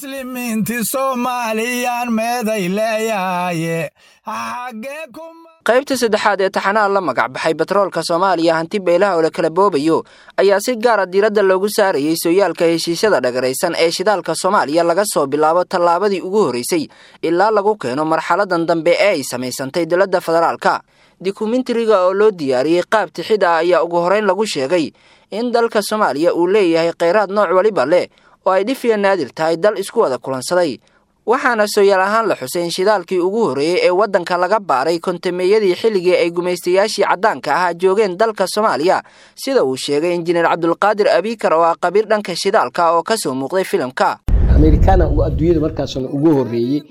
Muslimiinti Soomaaliyaan meeday leeyahaye xaggee ku. Qaybta saddexaad ee taxanaha la magac baxay Batroolka Soomaaliya Hanti Beelaha oo la kala boobayo ayaa si gaara diiradda loogu saarayey sooyaalka heshiisyada dhagaraysan ee shidaalka Soomaaliya, laga soo bilaabo tallaabadii ugu horreysay ilaa lagu keeno marxaladan dambe ee ay samaysantay dowladda federaalka. Dokumentariga oo loo diyaariyey qaab tixid ah ayaa ugu horreyn lagu sheegay in dalka Soomaaliya uu leeyahay kheyraad nooc waliba leh oo ay dhif iyo naadir tahay dal isku wada kulansaday, waxaana sooyaal ahaan la xusay in shidaalkii ugu horreeyey ee waddanka laga baaray kontameeyadii xilligii ay gumaystayaashii caddaanka ahaa joogeen dalka Soomaaliya, sida uu sheegay Injineer Cabdulqaadir Abiikar oo ah qabiir dhanka shidaalka oo kasoo muuqday filimka. Amerikaana adduunyada markaasna ugu horreeyey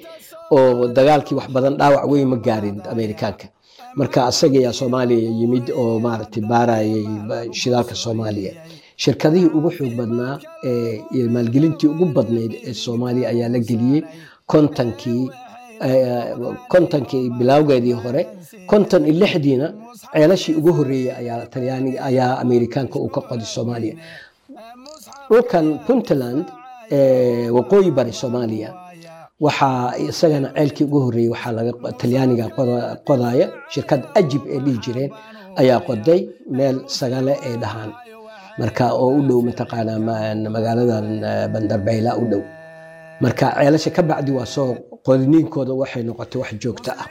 oo dagaalkii wax badan dhaawac weyn ma gaarin Amerikaanka. Marka asaga ayaa Soomaaliya yimid oo maaragtay baarayay shidaalka Soomaaliya. Shirkadihii ugu xoog badnaa ee maalgelintii ugu badnayd ee Soomaaliya ayaa la geliyey 50kii bilowgeedii hore. 56diina ceelashii ugu horreeyey ayaa Talyaaniga ayaa Amerikaanka uu ka qoday Soomaaliya, dhulkan Puntland, waqooyi bari Soomaaliya. Waxaa isagana ceelkii ugu horreeyey waxaa laga Talyaaniga qodaya, shirkad Ajib ee dhihi jireen ayaa qoday meel Sagale ay dhahaan, marka oo u dhow mataqaanaa magaaladan Bandarbeyla u dhow. Marka ceelasha ka bacdi waa soo qodniinkooda waxay noqotay wax joogto ah.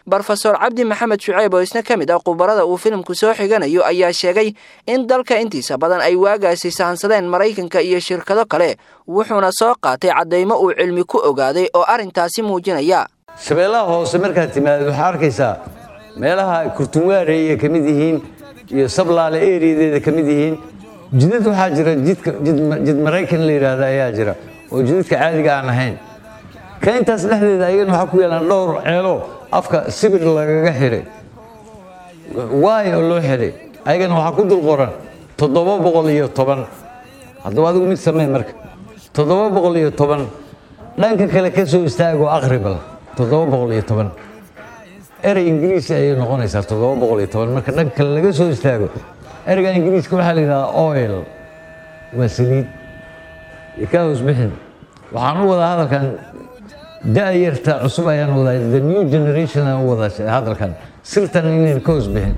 Brofesor Cabdi Maxamed Shuceyb oo isna ka mid ah khubarada uu filimku soo xiganayo ayaa sheegay in dalka intiisa badan ay waagaasi sahansadeen Maraykanka iyo shirkado kale, wuxuuna soo qaatay caddaymo uu cilmi ku ogaaday oo arrintaasi muujinaya. Shabeellaha Hoose markaad timaadid waxaa arkaysaa meelaha Kurtunwaareeye ka mid yihiin iyo Sablaale eriyadeeda ka mid yihiin jidad. Waxaa jira jidka jid Maraykan la yidhaahda ayaa jira oo jidadka caadiga aan ahayn. Ka intaas dhexdeeda ayagana waxaa ku yaalaan dhowr ceelo afka sibir lagaga xiray waay oo loo xiray, ayagana waxaa ku dul qoran 710. Haddaba adigu mid samee marka 710 dhanka kale ka soo istaagoo aqribal 710 erey Ingiriisi ayay noqonaysaa. 710 marka dhanka kale laga soo istaago, ereyga Ingiriiska waxaa la yidhahdaa oil, waa saliid. Ka hoos bixin. Waxaan u wadaa hadalkan da'yarta cusub ayaan wadaa, the new generation aan u wadaa hadalkan, sirtan inayna ka hoos bixin.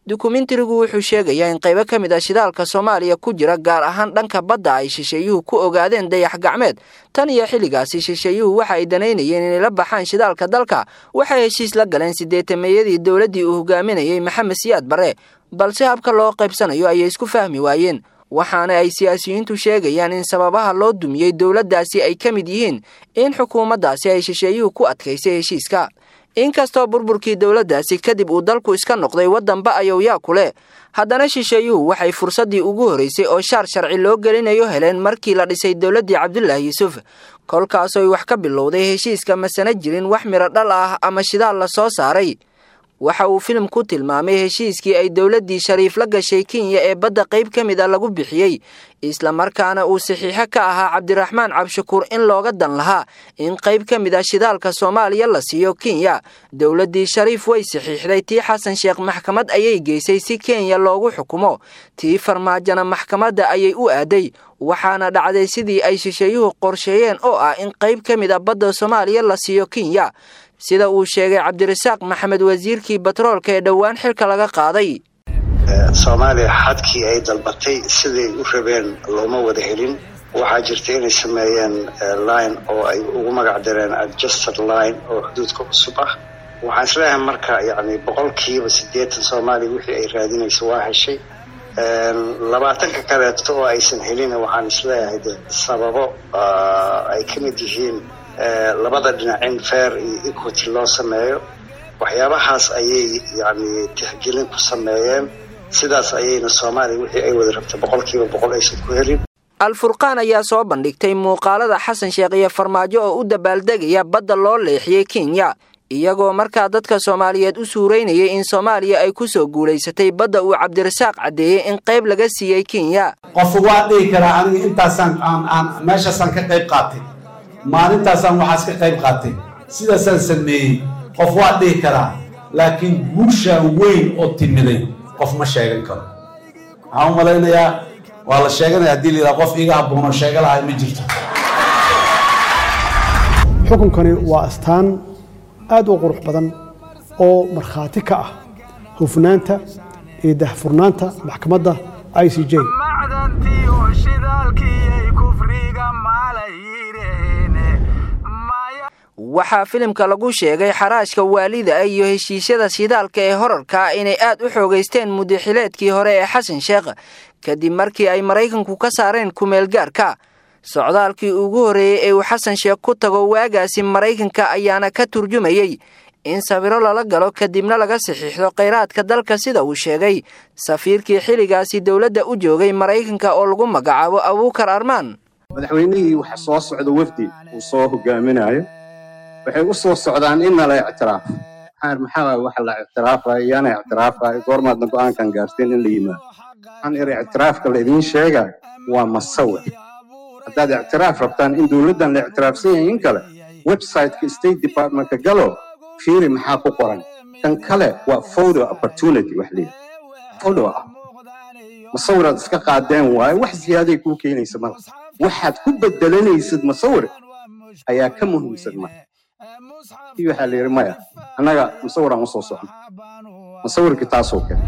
Dokumentarigu wuxuu sheegayaa in qaybo ka mid ah shidaalka Soomaaliya ku jira, gaar ahaan dhanka badda, ay shisheeyuhu ku ogaadeen dayax gacmeed. Tan iyo xilligaasi shisheeyuhu waxa ay danaynayeen inay la baxaan shidaalka dalka. Waxay heshiis la galeen sideetameeyadii dowladdii uu hogaaminayey Maxamed Siyaad Barre, balse habka loo qaybsanayo ayay isku fahmi waayeen, waxaana ay siyaasiyiintu sheegayaan in sababaha loo dumiyey dowladdaasi ay ka mid yihiin in xukuumaddaasi ay shisheeyuhu ku adkaysay heshiiska. Inkastoo burburkii dowladdaasi kadib uu dalku iska noqday waddanba ayowyaa ku leh, haddana shisheeyuhu waxay fursaddii ugu horraysay oo shaar sharci loo gelinayo heleen markii la dhisay dowladdii Cabdulaahi Yuusuf, kolkaasoy wax ka bilowday heshiiska masana jirin wax midho dhal ah ama shidaal la soo saaray. Waxa uu filimku tilmaamay heshiiskii ay dowladdii Shariif la gashay Kenya ee badda qayb ka mid a lagu bixiyey, islamarkaana uu saxiixo ka ahaa Cabdiraxmaan Cabshakuur, in looga dan lahaa in qayb ka mid ah shidaalka Soomaaliya la siiyo Kenya. Dowladdii Shariif way saxiixday. Tii Xasan Sheekh maxkamad ayay geysay si Kenya loogu xukumo. Tii Farmaajona maxkamadda ayay u aaday, waxaana dhacday sidii ay shisheeyuhu qorsheeyeen oo ah in qayb ka mid a badda Soomaaliya la siiyo Kenya, sida uu sheegay Cabdirasaaq Maxamed, wasiirkii batroolka ee dhowaan xilka laga qaaday. Soomaaliya xadkii ay dalbatay siday u rabeen looma wada helin. Waxaa jirta inay sameeyeen line oo ay ugu magac dareen adjusted line oo xuduudka cusub ah. Waxaan isleeyahay marka yacni 80% Soomaaliya wixii ay raadinayso waa heshay. 20ka kaleeto oo aysan helin waxaan isleeyahay de sababo ay ka mid yihiin labada dhinac in fair iyo equity loo sameeyo, waxyaabahaas ayay yacni tixgelin ku sameeyeen. Sidaas ayayna Soomaaliya wixii ay wada rabtay 100% aysan ku helin. Alfurqaan ayaa soo bandhigtay muuqaalada Xasan Sheekh iyo Farmaajo oo u dabaaldegaya badda loo leexiyey Kenya, iyagoo markaa dadka Soomaaliyeed u suuraynayay in Soomaaliya ay ku soo guulaysatay badda uu Cabdirasaaq caddeeyey in qayb laga siiyey Kenya. Qof waa dhihi karaa aniga intaasaan aan meeshaasaan ka qayb qaatay, maalintaasaan waxaas ka qayb qaatay, sidaasaan sameeyey, qof waa dhihi karaa, laakiin guushaan weyn oo timiday qof ma sheegan karo. Waxaan u malaynayaa waa la sheeganaya haddii la yidhaha qof iiga habboonoo sheega lahay ma jirto. Xukunkani waa astaan aad u qurux badan oo markhaati ka ah hufnaanta iyo daahfurnaanta maxkamadda ICJ. Macdantiyo shidaalkiyay kufriga maalayireen. Waxaa filimka lagu sheegay xaraashka waalida iyo heshiisyada shidaalka ee horarka inay aad u xoogaysteen mudaxileedkii hore ee Xasan Sheekh, kadib markii ay Maraykanku ka saareen kumeelgaarka. Socdaalkii ugu horreeyey ee uu Xasan Sheekh ku tago waagaasi Maraykanka ayaana ka turjumayey in sawiro lala galo, kadibna laga saxiixdo kheyraadka dalka, sida uu sheegay safiirkii xilligaasi dowladda u joogay Maraykanka oo lagu magacaabo Abuukar Armaan. Madaxweynihii waxa soo socda wafdi uu soo hogaaminayo, waxay u soo socdaan in nala ictiraaf. Maxaa maxaa waxa la ictiraafayo? Yaana ictiraafayo? Goormaadna go'aankan gaarteen in la yimaado? Waxaan iri, ictiraafka la idiin sheegayo waa masawir. Haddaad ictiraaf rabtaan, in dowladdan la ictiraafsan yahay in kale, website-ka State Departmentka galo, fiiri maxaa ku qoran. Kan kale waa photo opportunity, wax leeyahay photo ah, masawiraad iska qaadeen waaye, wax ziyaaday kuu keenaysa mala. Waxaad ku bedelanaysid masawir ayaa ka muhiimsan. Marka kii waxaa la yidhi, maya, annaga masawiraan usoo socno, masawirkii taasoo kale.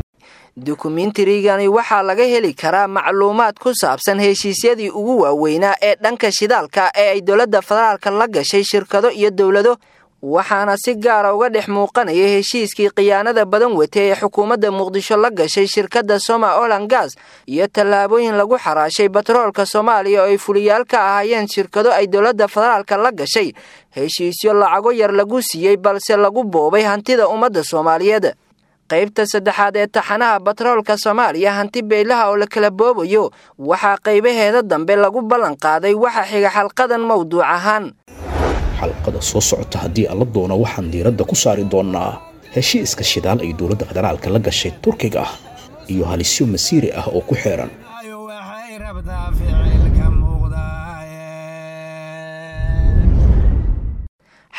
Dukumentarigani waxaa laga heli karaa macluumaad ku saabsan heshiisyadii ugu waaweynaa ee dhanka shidaalka ee ay dowladda federaalka la gashay shirkado iyo dowlado, waxaana si gaara uga dhex muuqanaya heshiiskii khiyaanada badan watay ee xukuumadda Muqdisho la gashay shirkadda Soma Olan Gas, iyo tallaabooyin lagu xaraashay batroolka Soomaaliya oo ay fuliyaal ka ahaayeen shirkado ay dowladda federaalka la gashay heshiisyo lacago yar lagu siiyey, balse lagu boobay hantida ummadda Soomaaliyeed. Qaybta saddexaad ee taxanaha batroolka Soomaaliya hanti beylaha oo la kala boobayo waxaa qaybaheeda dambe lagu ballan qaaday waxa xiga xalqadan mowduuc ahaan. Xalqada soo socota, haddii alla doono, waxaan diiradda ku saari doonnaa heshiiska shidaal ay dowladda federaalka la gashay Turkiga iyo halisyo masiiri ah oo ku xeeran. Waxay rabtaa ficilka muuqdaaye.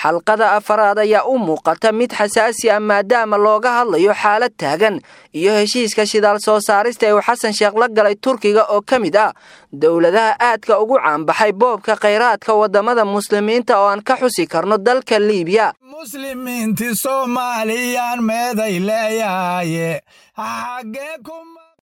Xalqada afaraad ayaa u muuqata mid xasaasi ah, maadaama looga hadlayo xaalad taagan iyo heshiiska shidaal soo saarista ee uu Xasan Sheekh la galay Turkiga oo ka mid ah dowladaha aadka ugu caanbaxay boobka khayraadka waddamada Muslimiinta oo aan ka xusi karno dalka Liibiya. Muslimiinti Soomaaliyaan meeday leeyahaye, xaggee ku